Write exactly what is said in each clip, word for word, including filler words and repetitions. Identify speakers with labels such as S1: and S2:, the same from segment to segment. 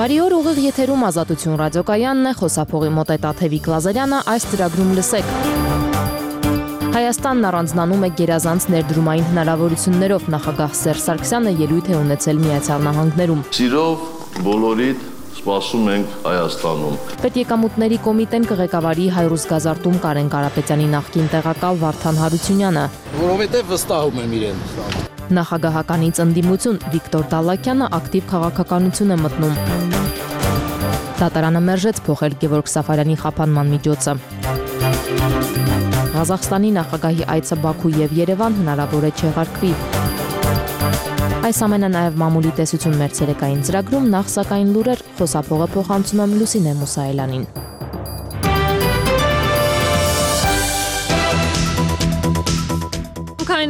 S1: Բարի օր, ուղիղ եթերում Ազատություն ռադիոկայանն է, խոսափողի մոտ է Տաթևիկ Լազարյանը, այս ծրագրում լսեք։ Հայաստանն առանձնանում է գերազանց ներդրումային հնարավորություններով, նախագահ Սերժ Սարգսյանը ելույթ է ունեցել Միացյալ Նահանգներում։
S2: Սիրով բոլորիդ սպասում ենք Հայաստանում։
S1: Պետեկամուտների կոմիտեն կղեկավարի Հայրուս Գազարտում Կարեն Կարապետյանի նախկին տեղակալ Վարդան Հարությունյանը։
S3: Որովհետև վստահում եմ իրեն։
S1: Նախագահականից ընդդիմություն Վիկտոր Դալլաքյանը ակտիվ քաղաքականություն է մտնում։ Դատարանը մերժեց փոխել Գևորգ Սաֆարյանի խափանման միջոցը։ Ղազախստանի նախագահի այցը Բաքու եւ Երևան հնարավոր է չեղարկվի։ Այս ամենը նաև մամուլի տեսություն մեր ցերեկային ծրագրում, նախ սակայն լուրեր, խոսափողը փոխանցում եմ Լուսինե Մուսայելյանին։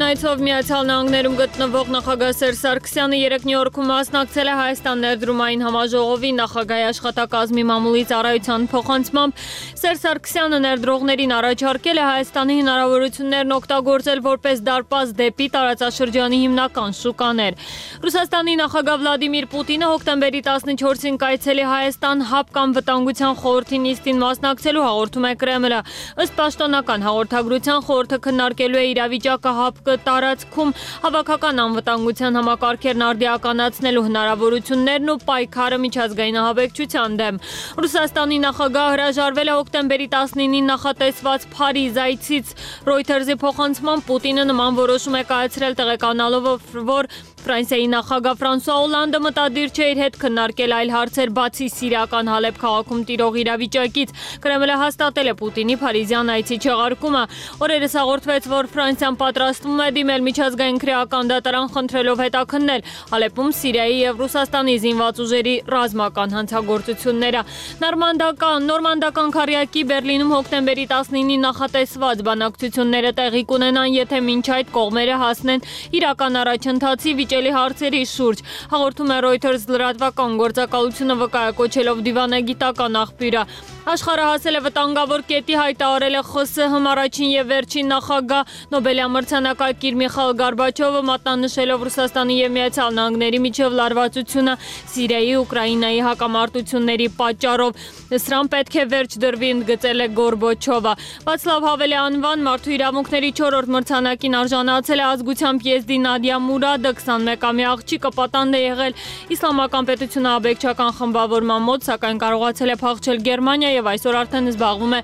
S1: Այցով Միացյալ Նահանգներում գտնվող նախագահ Սերժ Սարգսյանը երեկ Նյու Յորքում մասնակցել է Հայաստան ներդրումային համաժողովի նախագահի աշխատակազմի մամուլի ծառայության փոխանցմամբ Սերժ Սարգսյանը ներդրողներին առաջարկել է Հայաստանի հնարավորություններն օգտագործել որպես դարպաս դեպի տարածաշրջանի հիմնական շուկաներ։ Ռուսաստանի նախագահ Վլադիմիր Պուտինը հոկտեմբերի տասնչորսին կայցելի Հայաստան ՀԱՊ կամ վտանգության խորհրդի նիստին մասնակցելու հաղորդում է Կրեմլը։ Ըստ պաշտոնական հաղորդագրության խորհուրդը քննարկելու է իրավիճակը ՀԱՊ տարածքում հավաքական անվտանգության համակարգերն արդիականացնելու հնարավորություններն ու պայքարը միջազգային ահաբեկչության դեմ։ Ռուսաստանի նախագահը հրաժարվել է հոկտեմբերի տասնինին նախատեսված Փարիզ այցից։ Reuters-ի փոխանցմամբ Պուտինը նման որոշում է կայացրել տեղեկանալով, որ Ֆրանսիայի նախագահ Ֆրանսուଆ Օլանդը մտադիր չէ իր հետ քննարկել այլ հարցեր բացի սիրիական Հալեբ քաղաքում տիրող իրավիճակից։ Կրեմլը հաստատել է Պուտինի Փարիզյան այցի չեղարկումը։ Օրերս հաղորդվեց, որ Ֆրանսիան պատրաստվում է դիմել միջազգային քրեական դատարան խնդրելով հետաքննել Հալեբում Սիրիայի եւ Ռուսաստանի զինված ուժերի ռազմական հանցագործությունները։ Նորմանդական նորմանդական քարյակի Բերլինում հոկտեմբերի տասնինին նախատեսված բանակցությունները տեղի կունենան, եթե մինչ այդ կողմերը հասնեն իրական առաջընթացի վիճելի հարցերի շուրջ։ Հաղորդում է Reuters լրատվական գործակալությունը վկայակոչելով դիվանագիտական աղբյուրը։ Աշխարհը հասել է վտանգավոր կետի, հայտարարել է ԽՍՀՄ առաջին եւ վերջին նախագահ Նոբելյա մրցանակակիր Միխայիլ Գորբաչովը, մատնանշելով Ռուսաստանի եւ Միացյալ Նահանգների միջև լարվածությունը Սիրիայի, Ուկրաինայի հակամարտությունների պատճառով։ Սրան պետք է վերջ դրվի, ընդգծել է Գորբաչովը։ Վացլավ Հավելի անվան մարդու իրավունքների չորրորդ մրցանակին արժանացել է ազգությամբ եզդի Նադիա Մուրադը, քսանմեկամյա աղջիկը պատանդ է եղել իսլամական պետությունը աբեկչական խմբավորման մոտ, սակայն կարողացել է փախչել Գերմանիա եւ այսօր արդեն զբաղվում է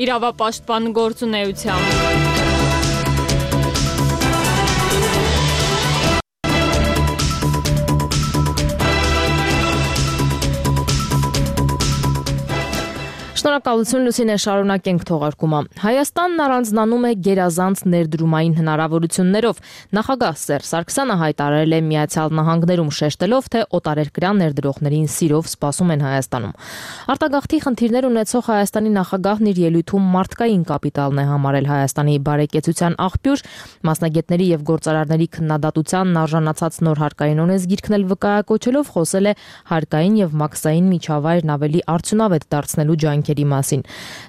S1: իրավապաշտպան գործունեությամբ։ Շնորհակալություն Լուսինե, շարունակենք թողարկումը։ Հայաստանն առանձնանում է գերազանց ներդրումային հնարավորություններով։ Նախագահ Սերժ Սարգսյանը հայտարարել է Միացյալ Նահանգներում, շեշտելով, թե օտարերկրյա ներդրողներին սիրով սպասում են Հայաստանում։ Արտագաղթի խնդիրներ ունեցող Հայաստանի նախագահն իր ելույթում մարդկային կապիտալն է համարել Հայաստանի բարեկեցության աղբյուր, մասնագետների եւ գործարարների քննադատությանն արժանացած նոր հարկային օրենսգիրքն էլ վկայակոչելով խոսել է հարկային եւ մաքսային միջավայրն ավելի արդյունավետ դարձնելու ջանքերի մասին։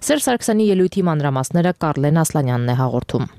S1: Սերժ Սարգսյանի ելույթի մանրամասները Կարլեն Ասլանյանն է հաղորդում։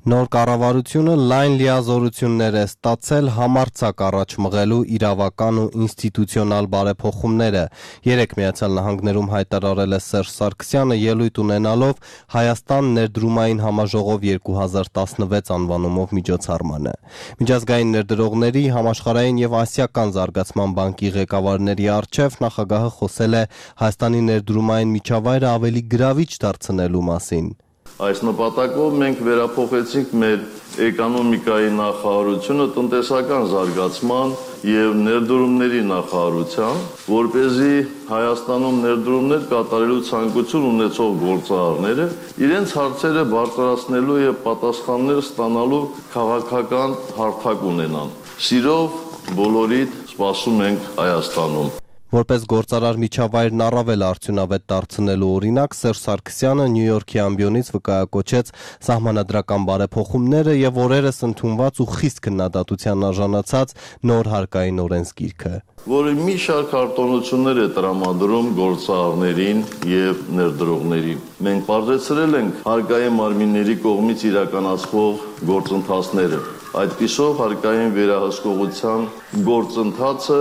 S4: Նոր կառավարությունը լայն լիազորություններ է ստացել համարձակ առաջ մղելու իրավական ու ինստիտուցիոնալ բարեփոխումները։ Երեկ Միացյալ Նահանգներում հայտարարել է Սերժ Սարգսյանը ելույթ ունենալով Հայաստան ներդրումային համաժողով երկու հազար տասնվեց անվանումով միջոցառմանը։ Միջազգային ներդրողների, համաշխարհային եւ ասիական զարգացման բանկի ղեկավարների առջև նախագահը խոսել է Հայաստանի ներդրումային միջավայրը ավելի գրավիչ դարձնելու մասին։
S2: Այս նպատակով մենք վերափոխեցինք մեր էկոնոմիկայի նախարարությունը տնտեսական զարգացման եւ ներդրումների նախարարության, որպեսզի Հայաստանում ներդրումներ կատարելու ցանկություն ունեցող գործարարները իրենց հարցերը բարձրացնելու եւ պատասխաններ ստանալու քաղաքական հարթակ ունենան։ Սիրով բոլորիդ սպասում ենք Հայաստանում։
S4: Որպես գործարար միջավայրն առավել արդյունավետ դարձնելու օրինակ, Սերժ Սարգսյանը Նյու Յորքի ամբիոնից վկայակոչեց սահմանադրական բարեփոխումները եւ օրերս ընդունված ու խիստ քննադատության արժանացած նոր հարկային օրենսգիրքը,
S2: որը մի շարք արտոնություններ է տրամադրում գործարարներին եւ ներդրողներին։ Մենք բարձրացրել ենք հարկային մարմինների կողմից իրականացվող գործընթացները։ Այդպիսով հարկային վերահսկողության գործընթացը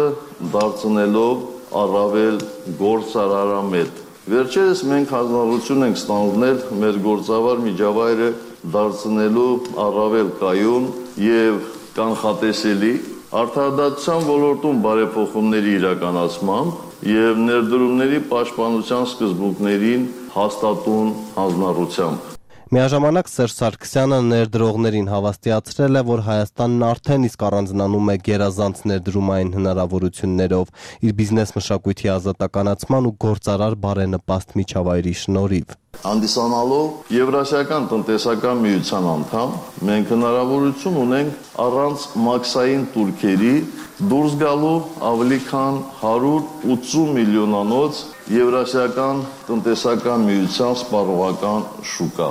S2: դարձնելով առավել գործարարամետ։ Վերջերս մենք հանձնարարություն ենք ստանձնել մեր գործավար միջավայրը դարձնելու առավել կայուն եւ կանխատեսելի, արդարադատության ոլորտում բարեփոխումների իրականացմամբ եւ ներդրումների պաշտպանության սկզբունքներին հաստատուն հանձնարարությամբ։
S4: Միաժամանակ Սերժ Սարգսյանը ներդրողներին հավաստիացրել է, որ Հայաստանն արդեն իսկ առանձնանում է գերազանց ներդրումային հնարավորություններով իր բիզնես մշակույթի ազատականացման ու գործարար բարենպաստ միջավայրի շնորհիվ։
S2: Հանդիսանալով Եվրասիական տնտեսական միության անդամ, մենք հնարավորություն ունենք առանց մաքսային տուրքերի դուրս գալու ավելի քան հարյուր ութսուն միլիոնանոց Եվրասիական տնտեսական միության սպառողական շուկա։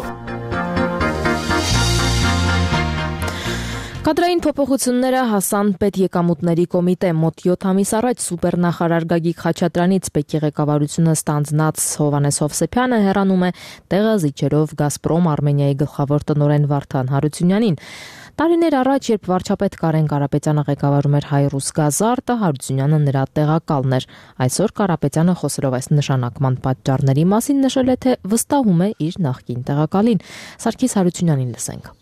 S5: Կադրային փոփոխությունները հասան պետեկամուտների կոմիտե մոտ յոթ ամիս առաջ սուպերնախարար Գագիկ Խաչատրյանից Պեկի ղեկավարությունը ստանձնած Հովհաննես Հովսեփյանը հեռանում է տեղազիջերով Գազպրոմ Արմենիայի գլխավոր տնօրեն Վարդան Հարությունյանին։ Տարիներ առաջ, երբ վարչապետ Կարեն Կարապետյանը ղեկավարում էր Հայրուսգազարտը, Հարությունյանը նրա տեղակալն էր։ Այսօր Կարապետյանը խոսելով այս նշանակման պատճառների մասին նշել է, թե վստահում է իր նախկին տեղակալին։ Սարգիս Հարությունյանին լսենք։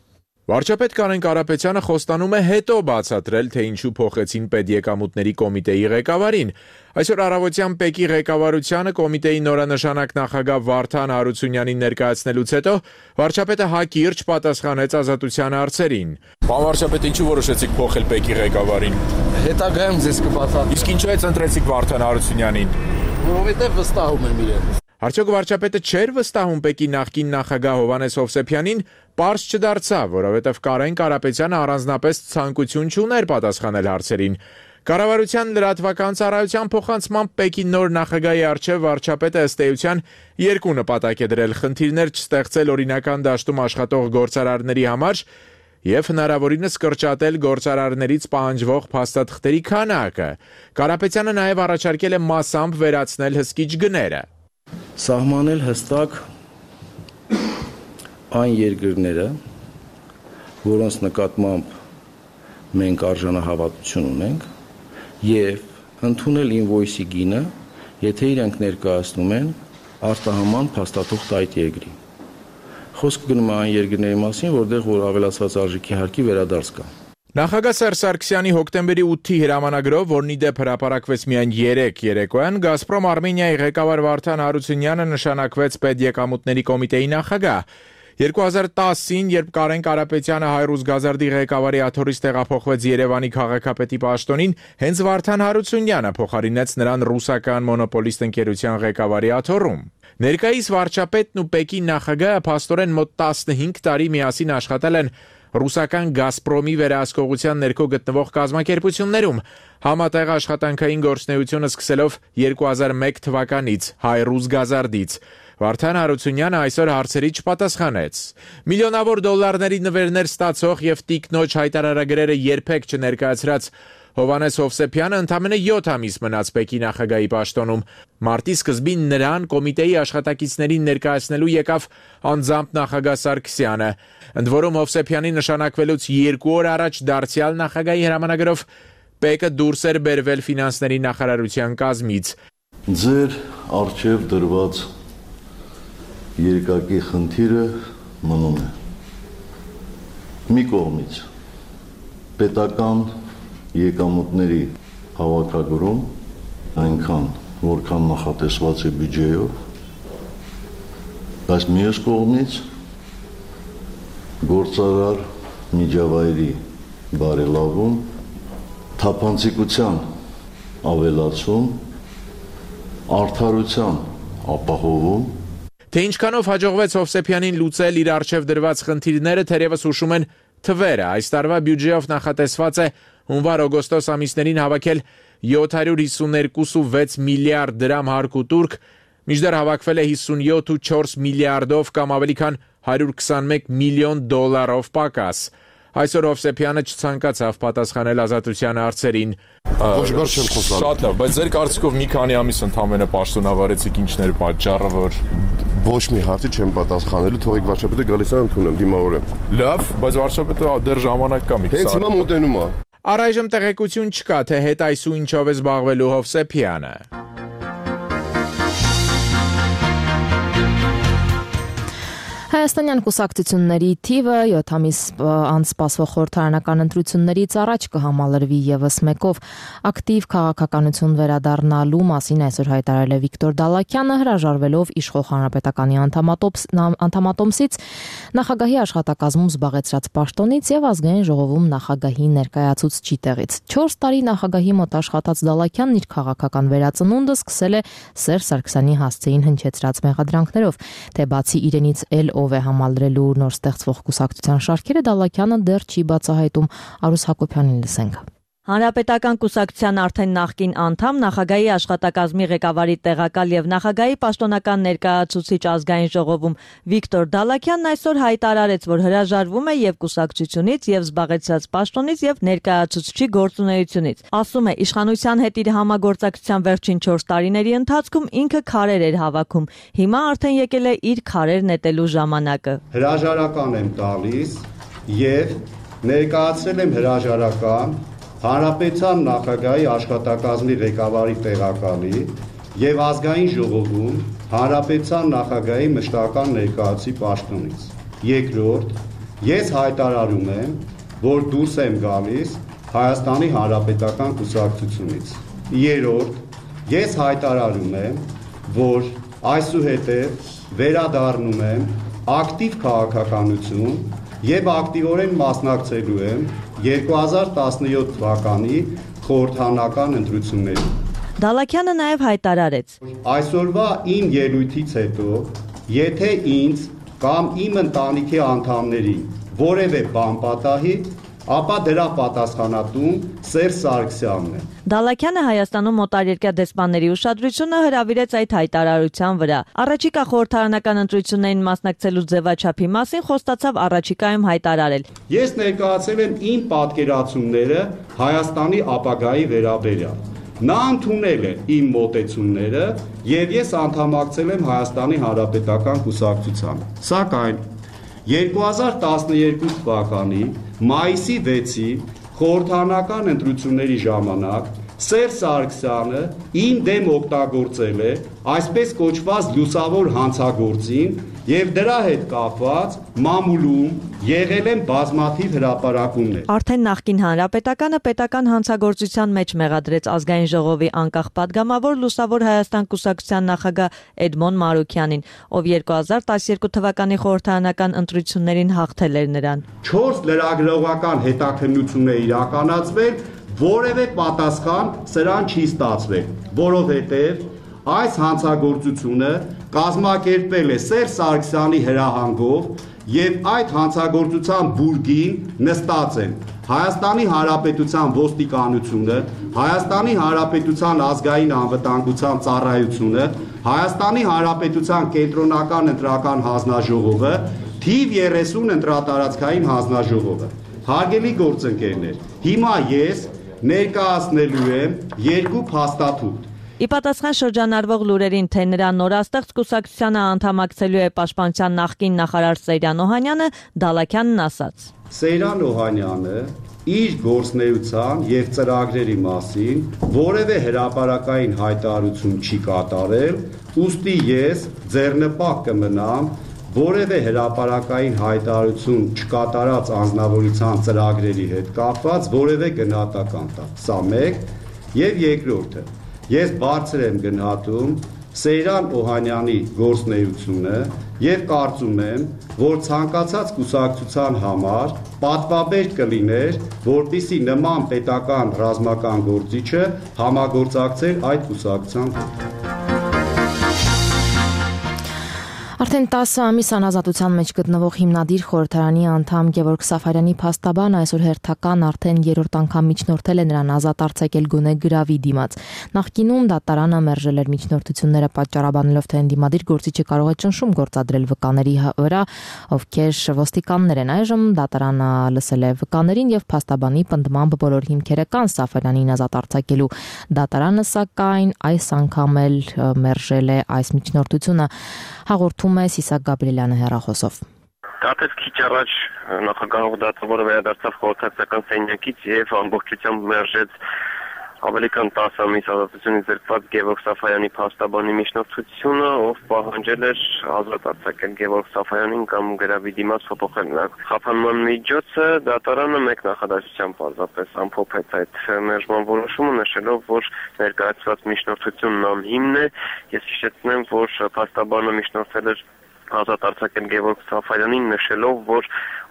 S6: Վարչապետ Կարեն Կարապետյանը խոստանում է հետո բացատրել, թե ինչու փոխեցին պետեկամուտների կոմիտեի ղեկավարին։ Այսօր առավոտյան Պեկի ղեկավարությանը կոմիտեի նորանշանակ նախագահ Վարդան Հարությունյանին ներկայացնելուց հետո վարչապետը հակիրճ պատասխանեց ազատության հարցերին։ Պարոն վարչապետ, ինչու որոշեցիք փոխել Պեկի ղեկավարին։
S3: Հետագայում ձեզ կբացատրեմ։
S6: Իսկ ինչու է ընտրեցիք Վարդան Հարությունյանին։
S3: Որովհետև վստահում եմ իրեն։
S6: Արդյոք վարչապետը չէր վստահում Պեկի նախկին նախագահ Հովհաննես Հովսեփյանին, պարզ չդարձավ, որովհետև Կարեն Կարապետյանը առանձնապես ցանկություն չուներ պատասխանել հարցերին։ Կառավարության լրատվական ծառայության փոխանցմամբ Պեկի նոր նախագահի առջև վարչապետը ըստ էության երկու նպատակ է դրել՝ խնդիրներ չստեղծել օրինական դաշտում աշխատող գործարարների համար եւ հնարավորինս կրճատել գործարարներից պահանջվող փաստաթղթերի քանակը։ Կարապետյանը նաեւ առաջարկել է մասամբ վերացնել հսկիչ գները։
S3: Սահմանել հստակ այն երկրները, որոնց նկատմամբ մենք արժանահավատություն ունենք, եւ ընդունել ինվոյսի գինը, եթե իրենք ներկայացնում են արտահանման փաստաթուղթ այդ երկրի։ Խոսքը գնում է այն երկրների մասին, որտեղ որ ավելացված արժեքի հարկի վերադարձ կա։
S6: Նախագահ Սերժ Սարգսյանի հոկտեմբերի ութի հրամանագրով, որն ի դեպ հրապարակվեց միայն երեկ երեկոյան, Գազպրոմ Արմենիայի ղեկավար Վարդան Հարությունյանը նշանակվեց պետեկամուտների կոմիտեի նախագահ։ երկու հազար տասին, երբ Կարեն Կարապետյանը Հայրուսգազարդի ղեկավարի աթոռից տեղափոխվեց Երևանի քաղաքապետի պաշտոնին, հենց Վարդան Հարությունյանը փոխարինեց նրան ռուսական մոնոպոլիստ ընկերության ղեկավարի աթոռում։ Ներկայիս վարչապետն ու Պեկի նախագահը փաստորեն մոտ տասնհինգ տարի միասին աշխատել են ռուսական Գազպրոմի վերահսկողության ներքո գտնվող կազմակերպություններում, համատեղ աշխատանքային գործունեությունը սկսելով երկու հազար մեկ թվականից Հայրուսգազարդից։ Վարդան Հարությունյանը այսօր հարցերի չպատասխանեց։ Միլիոնավոր դոլարների նվերներ ստացող եւ տիկնոջ հայտարարագրերը երբեք չներկայացրած Հովհաննես Հովսեփյանը ընդամենը յոթ ամիս մնաց Պեկի նախագահի պաշտոնում։ Մարտի սկզբին նրան կոմիտեի աշխատակիցներին ներկայացնելու եկավ անձամբ նախագահ Սարգսյանը։ Ընդ որում Հովսեփյանի նշանակվելուց երկու օր առաջ դարձյալ նախագահի հրամանագրով Պեկը դուրս էր բերվել ֆինանսների նախարարության կազմից։
S2: Ձեր արժև դրված երկակի խնդիրը մնում է։ Մի կողմից պետական եկամուտների հավաքագրում այնքան, որքան նախատեսված է բյուջեով, բայց մյուս կողմից գործարար միջավայրի բարելավում, թափանցիկության ավելացում, արդարության ապահովում։
S6: Թե ինչքանով հաջողվեց Հովսեփյանին լուծել իր առջև դրված խնդիրները, թերևս հուշում են թվերը։ Այս տարվա բյուջեով նախատեսված է հունվար-օգոստոս ամիսներին հավաքել յոթ հարյուր հիսուներկու կόμμα վեց միլիարդ դրամ հարկ ու տուրք, մինչդեռ հավաքվել է հիսունյոթ կόμma չորս միլիարդով կամ ավելի քան հարյուր քսանմեկ միլիոն դոլարով պակաս։ Այսօր Հովսեփյանը չցանկացավ պատասխանել ազատության հարցերին։
S3: Ոչ բար չեմ խոսալ։
S6: Շատ լավ, բայց ձեր կարծիքով մի քանի ամիս ընդամենը պաշտոնավարեցիք, ինչն էր պատճառը, որ
S7: Ոչ մի հարցի չեմ պատասխանելու, թողեք վարչապետը գալիս է ընդունում, դիմավորեմ։
S6: Լավ, բայց վարչապետը դեռ ժամանակ կա մի քիչ։
S7: Հենց հիմա մոտենում է։
S6: Առայժմ տեղեկություն չկա, թե հետ այսու ինչով է զբաղվելու Հովսեփյանը։
S5: Հայաստանյան կուսակցությունների թիվը յոթ ամիս անց սպասվող խորհրդարանական ընտրություններից առաջ կհամալրվի ևս մեկով։ Ակտիվ քաղաքականություն վերադառնալու մասին այսօր հայտարարել է Վիկտոր Դալաքյանը, հրաժարվելով իշխող հանրապետականի անդամատոմսից, նախագահի աշխատակազմում զբաղեցրած պաշտոնից եւ ազգային ժողովում նախագահի ներկայացուցչի տեղից։ չորս տարի նախագահի մոտ աշխատած Դալաքյանն իր քաղաքական վերածնունդը սկսել է Սերժ Սարգսյանի հասցեին հնչեցրած մեղադրանքներով, թե բացի իրենից էլ ով է համալրելու նոր ստեղծվող կուսակցության շարքերը, Դալաքյանը դեռ չի բացահայտում։ Արուս Հակոբյանին լսենք։
S8: Հանրապետական կուսակցության արդեն նախկին անդամ, նախագահի աշխատակազմի ղեկավարի տեղակալ եւ նախագահի պաշտոնական ներկայացուցիչ ազգային ժողովում Վիկտոր Դալաքյանն այսօր հայտարարեց, որ հրաժարվում է եւ կուսակցությունից, եւ զբաղեցրած պաշտոնից եւ ներկայացուցչի գործունեությունից։ Ասում է, իշխանության հետ իր համագործակցության վերջին չորս տարիների ընթացքում ինքը քարեր էր հավաքում։ Հիմա արդեն եկել է իր քարեր նետելու ժամանակը։
S9: Հրաժարական եմ տալիս եւ ներկայացրել եմ հրաժարական Հանրապետության նախագահի աշխատակազմի ղեկավարի տեղակալի եւ ազգային ժողովում Հանրապետության նախագահի մշտական ներկայացուցի պաշտոնից։ Երկրորդ, ես հայտարարում եմ, որ դուրս եմ գալիս Հայաստանի Հանրապետական կուսակցությունից։ Երրորդ, ես հայտարարում եմ, որ այսուհետև վերադառնում եմ ակտիվ քաղաքականություն եւ ակտիվորեն մասնակցելու եմ երկու հազար տասնյոթ թվականի խորհրդարանական ընտրություններին։
S8: Դալաքյանը նաև հայտարարեց.
S9: Այսօրվա իմ ելույթից հետո, եթե ինձ կամ իմ ընտանիքի անդամներին որևէ բան պատահի, ապա դրա պատասխանատուն Սերժ Սարգսյանն է։
S8: Դալաքյանը Հայաստանում մոտարերկրյա դեսպանների ուշադրությունը հրավիրեց այդ հայտարարության վրա։ Առաջիկա խորհրդարանական ընտրություններին մասնակցելու ձևաչափի մասին խոստացավ առաջիկայում հայտարարել։
S9: Ես ներկայացել եմ իմ պատկերացումները Հայաստանի ապագայի վերաբերյալ։ Նա ընդունել է իմ մոտեցումները եւ ես անդամակցել եմ Հայաստանի Հանրապետական կուսակցությանը։ Սակայն երկու հազար տասնյոթ թվականի մայիսի վեցին խորհրդարանական ընտրությունների ժամանակ Սերժ Սարգսյանը իմ դեմ օգտագործել է այսպես կոչված լուսավոր հանցագործին եւ դրա հետ կապված մամուլում եղել են բազմաթիվ հրապարակումներ։
S8: Արդեն նախկին հանրապետականը պետական հանցագործության մեջ մեղադրեց ազգային ժողովի անկախ падգամավոր Լուսավոր Հայաստան կուսակցության նախագահ Էդմոն Մարուքյանին, ով երկու հազար տասնյոթ թվականի խորհրդարանական ընտրություններին հաղթել էր նրան։
S9: չորս լրագրողական հետաքննություն է իրականացվել, որևէ պատասխան սրան չի ստացվել, որովհետև այս հանցագործությունը կազմակերպվել է Սերժ Սարգսյանի հրահանգով եւ այդ հանցագործության բուրգին նստած են Հայաստանի Հանրապետության ոստիկանությունը, Հայաստանի Հանրապետության ազգային անվտանգության ծառայությունը, Հայաստանի Հանրապետության կենտրոնական ընտրական հանձնաժողովը, թիվ երեսուն ընտրատարածքային հանձնաժողովը։ Հարգելի գործընկերներ, հիմա ես ներկայացնելու եմ երկու փաստաթուղթ։
S8: Ի պատասխան շրջանառվող լուրերին, թե նրա նորաստեղծ կուսակցությանը անդամակցելու է պաշտպանության նախկին նախարար Սեյրան Օհանյանը, Դալաքյանն ասաց.
S9: Սեյրան Օհանյանը իր գործնեության եւ ծրագրերի մասին որևէ հրապարակային հայտարարություն չի կատարել, ուստի ես ձեռնպահ կմնամ որևէ հրապարակային հայտարարություն չկատարած անձնավորության ծրագրերի հետ կապված որևէ գնահատական տալ։ Սա մեկ, եւ երկրորդը, ես բարձր եմ գնահատում Սեյրան Օհանյանի գործնեությունը եւ կարծում եմ, որ ցանկացած կուսակցության համար պատվաբեր կլիներ, որպիսի նման պետական ռազմական գործիչը համագործակցեր այդ կուսակցության հետ։
S5: Արդեն տասը ամիս անազատության մեջ գտնվող հիմնադիր խորհրդարանի անդամ Գևորգ Սաֆարյանի փաստաբանը այսօր հերթական արդեն երրորդ անգամ միջնորդել է նրան ազատ արձակել գոնե գրավի դիմաց։ Նախկինում դատարանը մերժել էր միջնորդությունները պատճառաբանելով, թե ընդդիմադիր գործիչը կարող է ճնշում գործադրել վկաների վրա, ովքեր ոստիկաններ են։ Այժմ դատարանը լսել է վկաներին եւ փաստաբանի պնդմամբ բոլոր հիմքերը կան Սաֆարյանին ազատ արձակելու։ Դատարանը սակայն այս անգամ էլ մերժել է այս միջնորդությունը։ Հաղորդում է Սիսակ Գաբրիելյանը հեռախոսով։
S10: Դատեց քիչ առաջ նախագահող դատավորը վերադարձավ խորհրդական սենյակից եւ ամբողջությամբ մերժեց ավելի քան տասը ամիս ազատությունից զրկված Գևորգ Սաֆարյանի փաստաբանի միջնորդությունը, ով պահանջել էր ազատ արձակել Գևորգ Սաֆարյանին կամ գրավի դիմաց փոփոխել նրա խափանման միջոցը, դատարանը մեկ նախադասությամբ պարզապես ամփոփեց այդ մերժման որոշումը, նշելով, որ ներկայացված միջնորդությունն անհիմն է։ Ես հիշեցնեմ, որ փաստաբանը միջնորդել էր ազատ արձակել Գևորգ Սաֆարյանին, նշելով, որ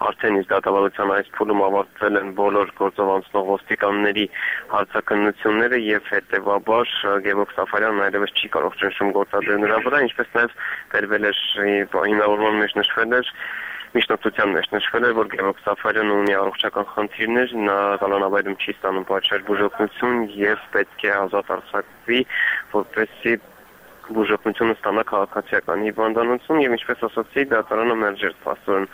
S10: արդեն իսկ դատավարության այս փուլում ավարտվել են բոլոր գործով անցնող ոստիկանների հարցաքննությունները եւ հետեւաբար Գևորգ Սաֆարյանն այլևս չի կարող ճնշում գործադրել նրա վրա, ինչպես նաեւ վերվել էր հիմնավորման մեջ նշվել էր Միջնորդության մեջ նշվել է, որ Գևորգ Սաֆարյանը ունի առողջական խնդիրներ, նա կալանավայրում չի ստանում պատշաճ բուժօգնություն եւ պետք է ազատ արձակվի, որպեսզի բուժօգնությունը ստանա քաղաքացիական հիվանդանոցում եւ ինչպես ասացի, դատարանը մերժեց փաստորեն,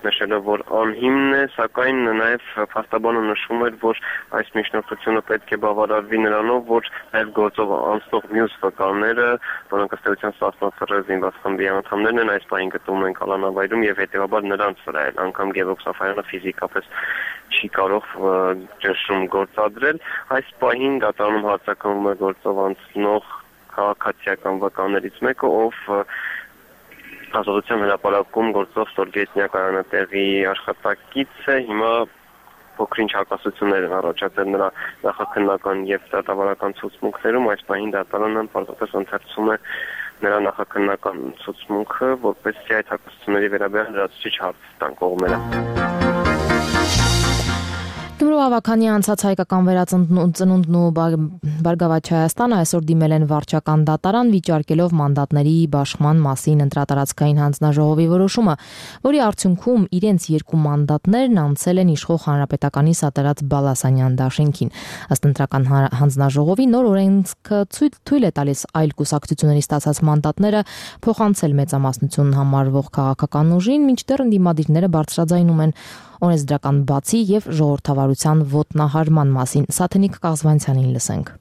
S10: նշելով, որ անհիմն է, սակայն նաեւ փաստաբանը նշում էր, որ այս միջնորդությունը պետք է բավարարվի նրանով, որ այլ գործով անցնող մյուս վկաները, որոնք ըստ էության սասնացրել զինված խմբի անդամներն են, այս պահին գտնվում են Կալանավայրում եւ հետեւաբար նրանց վրա էլ անգամ Գևորգ Սաֆարյանը ֆիզիկապես չի կարող ճնշում գործադրել։ Այս պահին դատարանում հարձակվում է գործով անցնող քաղաքացիական վկաներից մեկը, ով ազատության հրապարակում գործող ստորգետնյա կայանատեղի աշխատակից է, հիմա փոքրինչ հակասություններ են առաջացել նրա նախաքննական եւ դատավարական ցուցմունքներում, այս պահին դատարանը պարզապես ընթերցում է նրա նախաքննական ցուցմունքը, որպեսզի այդ հակասությունների վերաբերյալ լրացուցիչ հարց տան կողմերը։
S5: Գյումրու ավագանի անցած հայկական վերածնունդն ու Բարգավաճ Հայաստանը այսօր դիմել են վարչական դատարան, վիճարկելով մանդատների բաշխման մասին ընտրատարածքային հանձնաժողովի որոշումը, որի արդյունքում իրենց երկու մանդատներն անցել են իշխող Հանրապետականի Սատարած Բալասանյան դաշինքին։ Ըստ ընտրական հանձնաժողովի նոր օրենքը թույլ է տալիս այլ կուսակցությունների ստացած մանդատները փոխանցել մեծամասնություն համարվող քաղաքական ուժին, մինչդեռ ընդդիմադիրները բարձրաձայնում են օրենսդրական բացի եւ ժողովրդավարության ոտնահարման մասին։ Սաթենիկ Կաղզվանցյանին լսենք։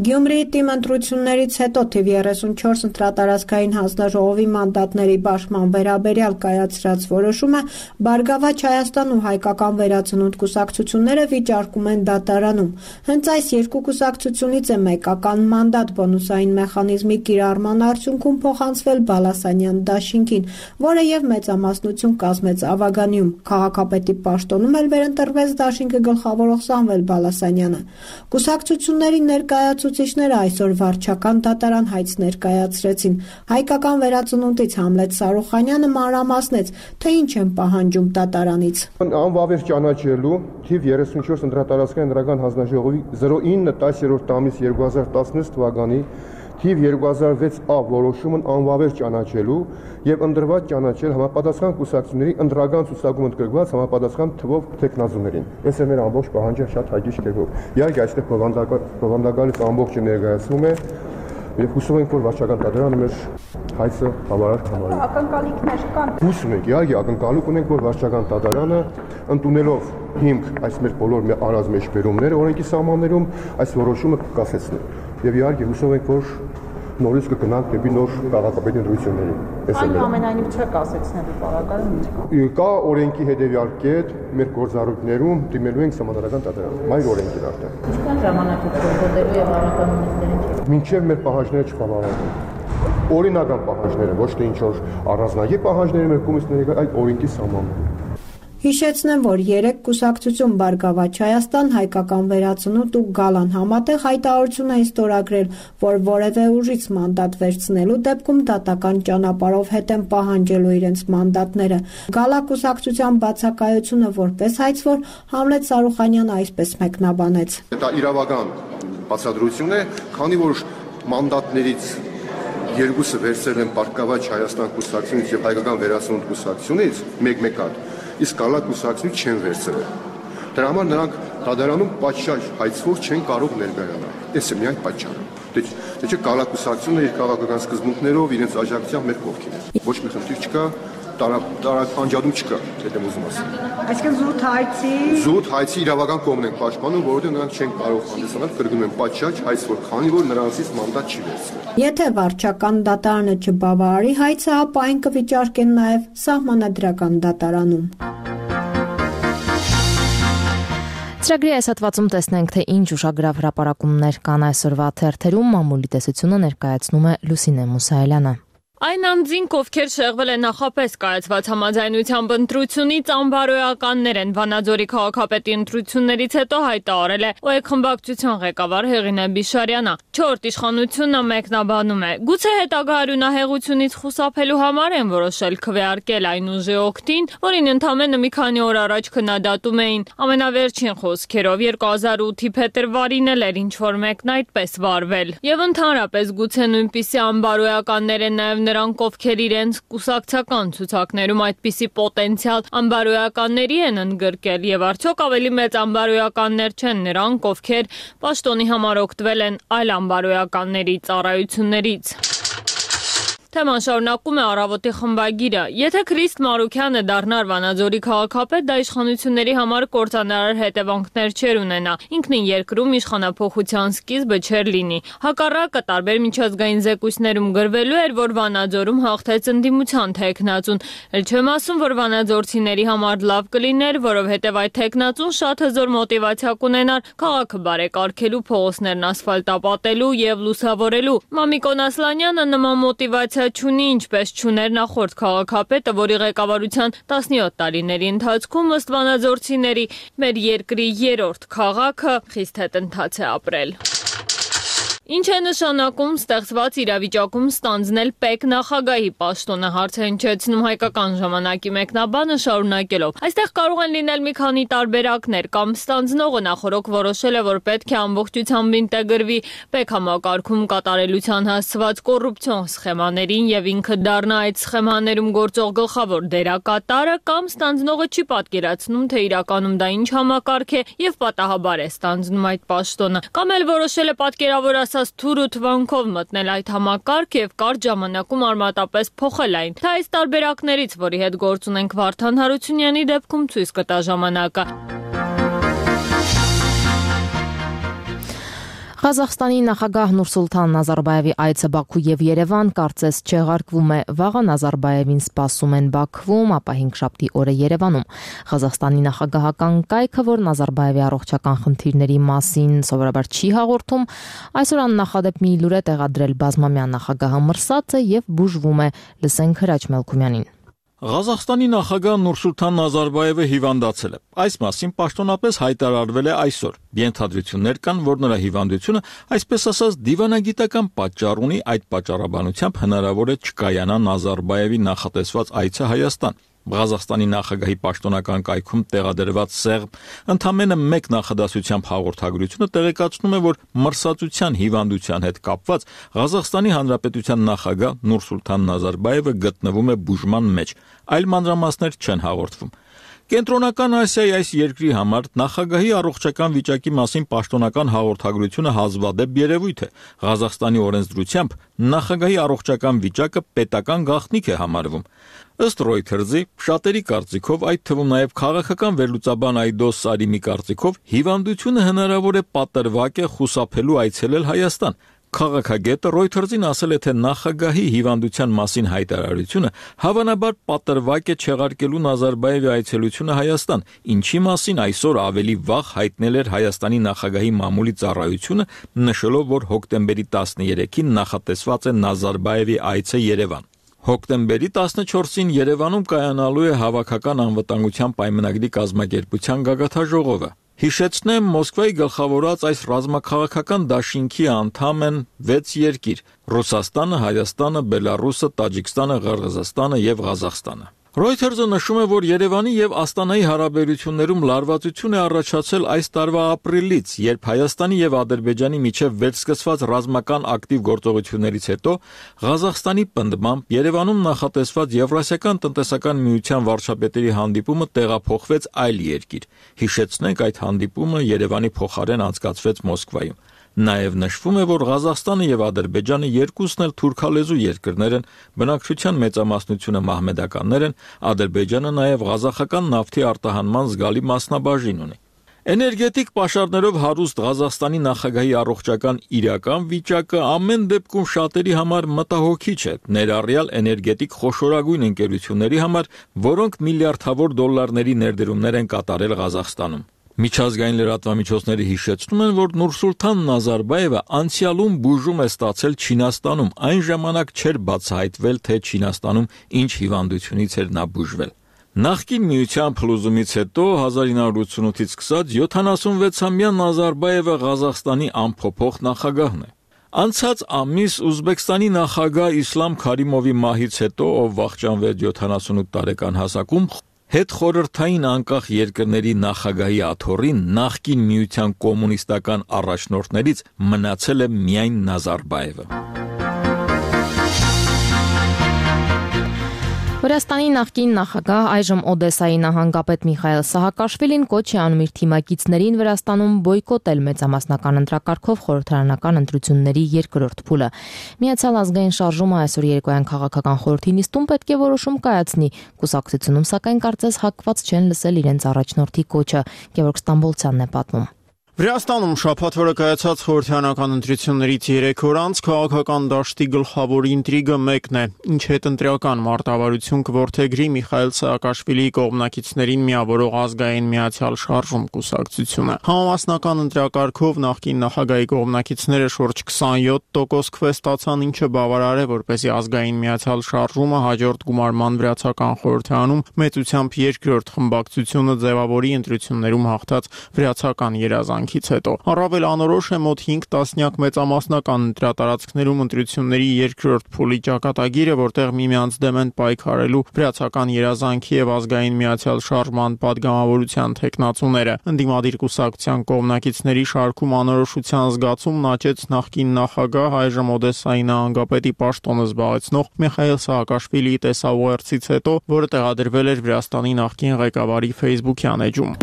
S11: Գյումրիի թիմ ընտրություններից հետո թիվ երեսունչորս ընտրատարածքային հանձնաժողովի մանդատների բաշխման վերաբերյալ կայացրած որոշումը Բարգավաճ Հայաստան ու Հայկական վերածնունդ կուսակցությունները վիճարկում են դատարանում։ Հենց այս երկու կուսակցությունից է մեկական մանդատ բոնուսային մեխանիզմի կիրառման արդյունքում փոխանցվել Բալասանյան դաշինքին, որը եւ մեծամասնություն կազմեց Ավագանիում։ Քաղաքապետի պաշտոնում էլ վերընտրվեց դաշինքը գլխավորող Սամվել Բալասանյանը։ Կուսակցությունների ներկայացուցիչ Ցուցիչները այսօր վարչական դատարան հայց ներկայացրեցին։ Հայկական վերածնունդից Համլետ Սարուխանյանը մանրամասնեց, թե ինչ են պահանջում դատարանից։
S7: Անվավեր ճանաչելու թիվ երեսունչորս ընտրատարածքային ընտրական հանձնաժողովի զրո ինը տասներորդ ամիս երկու հազար տասնհինգ թվականի թիվ երկու հազար վեց A որոշումն անվավեր ճանաչելու եւ ընդրված ճանաչել համապատասխան կուսակցությունների ընտրական ցուցակում ընդգրկված համապատասխան թվով տեխնազուներին։ Այս է մեր ամբողջ պահանջը շատ հաջիջ կերպով։ Իհարկե այստեղ բովանդակալից ամբողջը ներկայացվում է եւ հուսով ենք, որ վարչական դատարանը մեր հայցը բավարար կհամարի։
S11: Ակնկալիքներ կան։
S7: Հուսում ենք, իհարկե ակնկալիք ունենք, որ վարչական դատարանը ընդունելով հիմք այս մեր բոլոր արած մեջբերումները օրենքի սահմաններում այս որոշումը կկասեցնի։ Եվ իհարկե հուսով ենք, որ նորից կգնանք դեպի նոր քաղաքապետի ընտրությունների։
S11: Այնուամենայնիվ չէ կասեցնելու պարագայում։
S7: Կա օրենքի հետևյալ կետ մեր գործառույթներում դիմելու ենք սահմանադրական դատարան։ Մայր օրենքին արդեն։
S11: Ինչքան ժամանակ է գործելու եւ առաքանունիքներին։
S7: Մինչև մեր պահանջները չբավարարվեն։ Օրինական պահանջները, ոչ թե ինչ որ առանձնագիր պահանջները մեր կոմիսիաների, այլ օրենքի սահմանները։
S11: Հիշեցնեմ, որ երեք կուսակցություն Բարգավաճ Հայաստան, Հայկական վերածնունդ ու Գալան համատեղ հայտարարություն էին ստորագրել, որ որևէ ուժից մանդատ վերցնելու դեպքում դատական ճանապարհով հետ են պահանջելու իրենց մանդատները։ Գալա կուսակցության բացակայությունը որպես հայցվոր Համլետ Սարուխանյանը այսպես մեկնաբանեց։
S7: Դա իրավական բացատրություն է, քանի որ մանդատներից երկուսը վերցրել են Բարգավաճ Հայաստան կուսակցությունից եւ Հայկական վերածնունդ կուսակցությունից մեկ-մեկատ, իսկ Գալա կուսակցությունից չեն վերցրել։ Դրա համար նրանք դատարանում պատշաճ հայցվող չեն կարող ներկայանալ։ Այս է միայն պատճառը։ Դե չէ Գալա կուսակցությունը իր քաղաքական սկզբունքներով իրենց աջակցությամբ մեր կողքին է։ Ոչ մի խնդիր չկա, տարակ անջատում չկա, եթե ուզում ասեմ։
S11: Այսինքն զուտ հայցի
S7: Զուտ հայցի իրավական կողմն են պաշտպանում, որովհետև նրանք չեն կարող հանդիսանալ, կրկնում են պատշաճ հայց, որ քանի որ նրանցից մանդատ չի վերցվել։
S11: Եթե վարչական դատարանը չբավարարի հայցը, ապա այն կվիճարկեն նաև սահմանադրական դատարանում։
S5: Ծրագրի այս հատվածում տեսնենք, թե ինչ ուշագրավ հրապարակումներ կան այսօրվա թերթերում, մամուլի տեսությունը ներկայացնում է Լուսինե Մուսայելյանը։
S1: Այն անձինք, ովքեր շեղվել են նախապես կայացված համաձայնությամբ ընտրությունից, անբարոյականներ են, Վանաձորի քաղաքապետի ընտրություններից հետո հայտարարել է ՕԵԿ խմբակցության ղեկավար Հեղինե Բիշարյանը։ Չորրորդ իշխանությունը մեկնաբանում է. գուցե հետագա արյունահեղությունից խուսափելու համար են որոշել քվեարկել այն ուժի օգտին, որին ընդամենը մի քանի օր առաջ քննադատում էին։ Ամենավերջին խոսքերով երկու հազար ութի փետրվարին էլ էր ինչ-որ մեկն այդպես վարվել։ Եվ ընդհանրապես գուցե նույնպիսի անբարոյականներ են նաև նրանք, ովքեր իրենց կուսակցական ցուցակներում այդպիսի պոտենցիալ անբարոյականների են ընդգրկել, եւ արդյոք ավելի մեծ անբարոյականներ չեն նրանք, ովքեր պաշտոնի համար օգտվել են այլ անբարոյականների ծառայություններից։ Թեման շարունակում է Առավոտի խմբագիրը։ Եթե Քրիստ Մարուքյանը դառնար Վանաձորի քաղաքապետ, դա իշխանությունների համար կործանարար հետևանքներ չէր ունենա։ Ինքնին երկրում իշխանափոխության սկիզբը չէր լինի։ Հակառակը տարբեր միջազգային զեկույցներում գրվելու էր, որ Վանաձորում հաղթեց ընդդիմության թեկնածուն։ Էլ չեմ ասում, որ վանաձորցիների համար լավ կլիներ, որովհետև այդ թեկնածուն շատ հզոր մոտիվացիա կունենար քաղաքը բարեկարգելու, փողոցներն ասֆալտապատելու եւ լուսավորելու։ Մամիկոն Ասլանյանը նման մոտիվացիա չունի, ինչպես չուներ նախորդ քաղաքապետը, որի ղեկավարության տասնյոթ տարիների ընթացքում ըստ վանաձորցիների մեր երկրի երրորդ քաղաքը խիստ հետընթաց է ապրել։ Ինչ է նշանակում ստեղծված իրավիճակում ստանձնել ՊԵԿ նախագահի պաշտոնը, հարց է հնչեցնում Հայկական ժամանակի մեկնաբանը շարունակելով։ Այստեղ կարող են լինել մի քանի տարբերակներ, կամ ստանձնողը նախորոք որոշել է, որ պետք է ամբողջությամբ ինտեգրվի ՊԵԿ համակարգում կատարելության հասցված կոռուպցիոն սխեմաներին եւ ինքը դառնա այդ սխեմաներում գործող գլխավոր դերակատարը, կամ ստանձնողը չի պատկերացնում, թե իրականում դա ինչ համակարգ է եւ պատահաբար է ստանձնում այդ պաշտոնը, կամ էլ որոշել է պատկերավոր ասած թուր ու թվանքով մտնել այդ համակարգ եւ կարճ ժամանակում արմատապես փոխել այն։ Թե այս տարբերակներից, որի հետ գործ ունենք Վարդան Հարությունյանի դեպքում, ցույց կտա ժամանակը։
S5: Ղազախստանի նախագահ Նուրսուլթան Նազարբայևի այցը Բաքու եւ Երևան կարծես չեղարկվում է։ Վաղը Նազարբայևին սպասում են Բաքվում, ապա հինգշաբթի օրը Երևանում։ Ղազախստանի նախագահական կայքը, որ Նազարբայևի առողջական խնդիրների մասին սովորաբար չի հաղորդում, այսօր աննախադեպ մի լուր է տեղադրել բազմամյա նախագահը մրսած է եւ բուժվում է։ Լսենք Հրաչ Մելքումյանին։
S12: Ղազախստանի նախագահ Նուրսուլթան Նազարբայևը հիվանդացել է։ Այս մասին պաշտոնապես հայտարարվել է այսօր։ Ենթադրություններ կան, որ նրա հիվանդությունը, այսպես ասած, դիվանագիտական պատճառ ունի, այդ պատճառաբանությամբ հնարավոր է չկայանա Նազարբայևի նախատեսված այցը Հայաստան։ Ղազախստանի նախագահի պաշտոնական կայքում տեղադրված սեղմ ընդամենը մեկ նախադասությամբ հաղորդագրությունը տեղեկացնում է, որ մրսածության հիվանդության հետ կապված Ղազախստանի Հանրապետության նախագահ Նուրսուլթան Նազարբայևը գտնվում է բուժման մեջ, այլ մանրամասներ չեն հաղորդվում։ Կենտրոնական Ասիայի այս երկրի համար նախագահի առողջական վիճակի մասին պաշտոնական հաղորդագրությունը հազվադեպ երևույթ է։ Ղազախստանի օրենսդրությամբ նախագահի առողջական վիճակը պետական գաղտնիք է համարվում։ Ըստ Reuters-ի, շատերի կարծիքով, այդ թվում նաև քաղաքական վերլուծաբան Այդոս Սարիմի կարծիքով, հիվանդությունը հնարավոր է պատրվակ է խուսափելու այցելել Հայաստան։ Քաղաքագետը Reuters-ին ասել է, թե նախագահի հիվանդության մասին հայտարարությունը հավանաբար պատրվակ է չեղարկելու Նազարբայևի այցելությունը Հայաստան, ինչի մասին այսօր ավելի վաղ հայտնել էր Հայաստանի նախագահի մամուլի ծառայությունը, նշելով, որ հոկտեմբերի տասներեքին նախատեսված է Նազարբայևի այցը Երևան։ Հոկտեմբերի տասնչորսին Երևանում կայանալու է հավաքական անվտանգության պայմանագրի կազմակերպության գագաթաժողովը։ Հիշեցնեմ, Մոսկվայի գլխավորած այս ռազմաքաղաքական դաշինքի անդամ են վեց երկիր՝ Ռուսաստանը, Հայաստանը, Բելարուսը, Տաջիկստանը, Ղրղզստանը եւ Ղազախստանը։ Reuters-ը նշում է, որ Երևանի եւ Աստանայի հարաբերություններում լարվածություն է առաջացել այս տարվա ապրիլից, երբ Հայաստանի եւ Ադրբեջանի միջև վերսկսված ռազմական ակտիվ գործողություններից հետո Ղազախստանի պնդմամբ Երևանում նախատեսված Եվրասիական տնտեսական միության վարչապետերի հանդիպումը տեղափոխվեց այլ երկիր։ Հիշեցնենք, այդ հանդիպումը Երևանի փոխարեն անցկացվեց Մոսկվայում։ Նաև նշվում է, որ Ղազախստանը եւ Ադրբեջանը երկուսն էլ թուրքալեզու երկրներ են, բնակչության մեծամասնությունը մահմեդականներ են, Ադրբեջանը նաև ղազախական նավթի արտահանման զգալի մասնաբաժին ունի։ Էներգետիկ պաշարներով հարուստ Ղազախստանի նախագահի առողջական իրական վիճակը ամեն դեպքում շատերի համար մտահոգիչ է, ներառյալ էներգետիկ խոշորագույն ընկերությունների համար, որոնք միլիարդավոր դոլարների ներդրումներ են կատարել Ղազախստանում։ Միջազգային լրատվամիջոցները հիշեցնում են, որ Նուրսուլթան Նազարբայևը անցյալում բուժում է ստացել Չինաստանում, այն ժամանակ չէր բացահայտվել, թե Չինաստանում ինչ հիվանդությունից էր նա բուժվել։ Նախկին միության փլուզումից հետո հազար ինը հարյուր ութսունութից սկսած յոթանասունվեցամյա Նազարբայևը Ղազախստանի անփոփոխ նախագահն է։ Անցած ամիս Ուզբեկստանի նախագահ Իսլամ Քարիմովի մահից հետո, ով վախճանվեց յոթանասունութ տարեկան հասակում, հետխորհրդային անկախ երկրների նախագահի աթոռին նախկին միության կոմունիստական առաջնորդներից մնացել է միայն Նազարբայևը։
S5: Վրաստանի նախկին նախագահ, այժմ Օդեսայի նահանգապետ Միխայել Սահակաշվիլին կոչ է անում իր թիմակիցներին Վրաստանում բոյկոտել մեծամասնական ընտրակարգով խորհրդարանական ընտրությունների երկրորդ փուլը։ Միացյալ ազգային շարժումը այսօր երեկոյան քաղաքական խորհրդի նիստում պետք է որոշում կայացնի։ Կուսակցությունում սակայն կարծես հակված չեն լսել իրենց առաջնորդի կոչը։ Գևորգ Ստամբոլցյանն է պատմում։
S13: Վրաստանում շաբաթվա կայացած խորհրդարանական ընտրություններից երեք օր անց քաղաքական դաշտի գլխավոր ինտրիգը մեկն է՝ ինչ հետընտրական մարտավարություն կորդեգրի Միխայել Սահակաշվիլիի կողմնակիցներին միավորող ազգային միացյալ շարժում կուսակցությունը։ Համամասնական ընտրակարգով նախկին նախագահի կողմնակիցները շուրջ քսանյոթ տոկոս քվե ստացան, ինչը բավարար է, որպեսզի ազգային միացյալ շարժումը հաջորդ գումարման վրացական խորհրդարանում մեծությամբ երկրորդ խմբակցությունը ձևավորի ընտրություններում հաղթած վրացական երազանք հետո առավել անորոշ է մոտ հինգ տասնյակ մեծամասնական ընտրատարածքներում ընտրությունների երկրորդ փուլի ճակատագիրը, որտեղ միմյանց դեմ են պայքարելու վրացական երազանքի եւ ազգային միացյալ շարժման падգամավորության թեկնածուները։ Ընդդիմադիր կուսակցության կողմնակիցների շարքում անորոշության զգացումն աճեց նախկին նախագահ, այժմ Օդեսայի նահանգապետի պաշտոնը զբաղեցնող Միխայել Սահակաշվիլիի տեսաուղերձից հետո, որը տեղադրվել էր Վրաստանի նախկին ղեկավարի Facebook-յան էջում։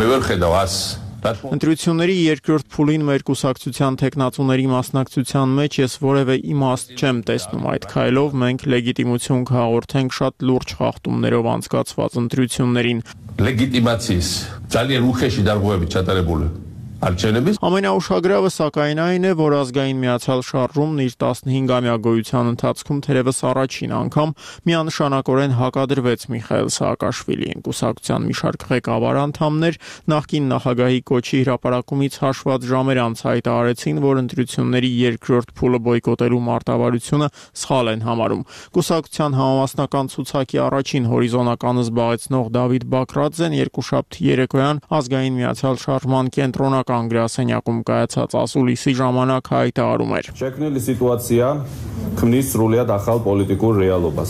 S13: Ընտրությունների երկրորդ փուլին մեր կուսակցության թեկնածուների մասնակցության մեջ ես որևէ իմաստ չեմ տեսնում այդ քայլով, մենք լեգիտիմություն կհաղորդենք շատ լուրջ խախտումներով անցկացված ընտրություններին։
S14: Լեգիտիմացიის ძალიან ուխեշի դարգողები չատարებული Ամենաուշագրավը սակայն այն է, որ ազգային միացյալ շարժումն իր տասնհինգամյա գոյության ընթացքում թերևս առաջին անգամ միանշանակորեն հակադրվեց Միխայել Սահակաշվիլիին։ Կուսակցության մի շարք ղեկավար անդամներ նախկին նախագահի կոչի հրապարակումից հաշված ժամեր անց հայտարարեցին, որ ընտրությունների երկրորդ փուլը բոյկոտելու մարտավարությունը սխալ են համարում։ Կուսակցության համամասնական ցուցակի առաջին հորիզոնականը զբաղեցնող Դավիթ Բակրաձեն երկուշաբթի երեկոյան ազգային միացյալ շարժման կենտրոնական գրասենյակում կայացած ասուլիսի ժամանակ հայտարարում էր.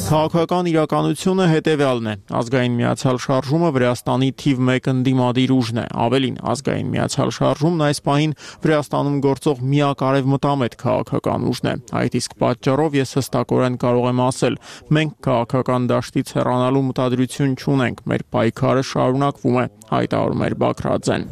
S14: Քաղաքական իրականությունը հետևյալն է. ազգային միացյալ շարժումը Վրաստանի թիվ մեկ ընդդիմադիր ուժն է, ավելին ազգային միացյալ շարժումն այս պահին Վրաստանում գործող միակ արևմտամետ քաղաքական ուժն է։ Այդ իսկ պատճառով ես հստակորեն կարող եմ ասել, մենք քաղաքական դաշտից հեռանալու մտադրություն չունենք, մեր պայքարը շարունակվում է, հայտարարում էր Բակրաձեն։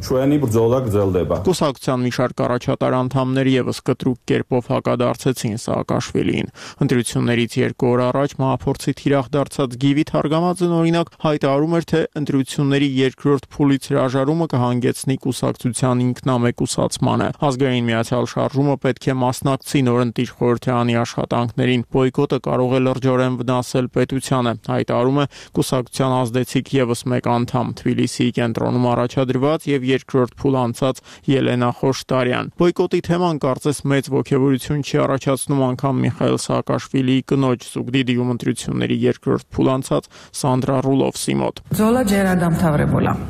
S14: Կուսակցության մի շարք առաջատար անդամներ եւս կտրուկ կերպով հակադարձեցին Սահակաշվիլիին։ Ընտրություններից երկու օր առաջ մահափորձի թիրախ դարձած Գիվի Թարգամաձեն օրինակ հայտարարում էր, թե ընտրությունների երկրորդ փուլից հրաժարումը կհանգեցնի կուսակցության ինքնամեկուսացմանը։ Ազգային միացյալ շարժումը պետք է մասնակցի նորընտիր խորհրդարանի աշխատանքներին։ Բոյկոտը կարող է լրջորեն վնասել պետությանը, հայտարարում է կուսակցության ազդեցիկ եւս մեկ անդամ Թբիլիսիի կենտրոնում առաջադրված եւ երկրորդ փուլ անցած Ելենա Խոշտարյան։ Բոյկոտի թեման կարծես մեծ ոգևորություն չի առաջացնում անգամ Միխայել Սահակաշվիլիի կնոջ Զուգդիդիում ընտրությունների երկրորդ փուլ անցած Սանդրա Ռուլովսի մոտ։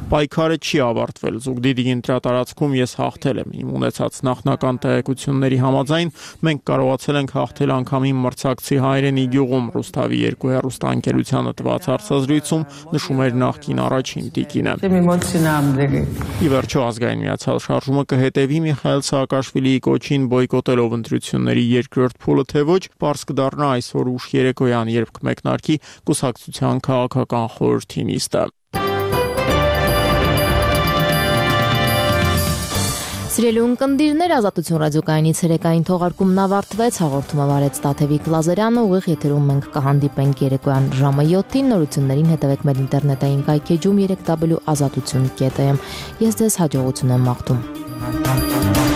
S14: Պայքարը չի ավարտվել։ Զուգդիդիի ընտրատարածքում ես հաղթել եմ։ Իմ ունեցած նախնական տեղեկությունների համաձայն մենք կարողացել ենք հաղթել անգամ իմ մրցակցի հայրենի գյուղում, Ռուսթավի երկու հեռուստաընկերությանը տված հարցազրույցում նշում էր նախկին առաջին տիկինը։ Ի վերջո ազգային միացյալ շարժումը կհետևի Միխայել Սահակաշվիլիի կոչին բոյկոտելով ընտրությունների երկրորդ փուլը, թե ոչ, պարզ կդառնա այսօր ուշ երեկոյան, երբ կմեկնարկի կուսակցության քաղաքական խորհրդի նիստը։
S5: Սիրելի ունկնդիրներ, Ազատություն ռադիոկայանի ցերեկային թողարկումն ավարտվեց, հաղորդումը վարեց Տաթևիկ Լազարյանը, ուղիղ եթերում մենք կհանդիպենք երեկոյան ժամը յոթին, նորություններին հետևեք մեր ինտերնետային կայքեջում երեք w ազատություն կետ am։ Ես ձեզ հաջողություն եմ մաղթում։